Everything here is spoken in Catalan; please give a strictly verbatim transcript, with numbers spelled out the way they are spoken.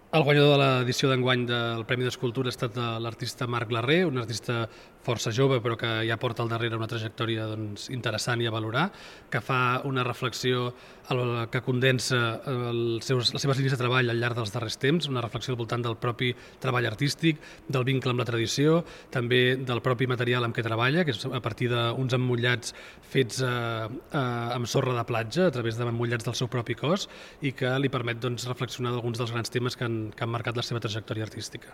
El guanyador de l'edició d'enguany del Premi d'Escultura ha estat l'artista Marc Larré, un artista força jove però que ja porta al darrere una trajectòria doncs, interessant i a valorar, que fa una reflexió que condensa els seus, les seves línies de treball al llarg dels darrers temps, una reflexió al voltant del propi treball artístic, del vincle amb la tradició, també del propi material amb què treballa, que és a partir d'uns emmotllats fets eh, eh, amb sorra de platja, a través d'emmotllats del seu propi cos, i que li permet doncs, reflexionar d'alguns dels grans temes que han, que han marcat la seva trajectòria artística.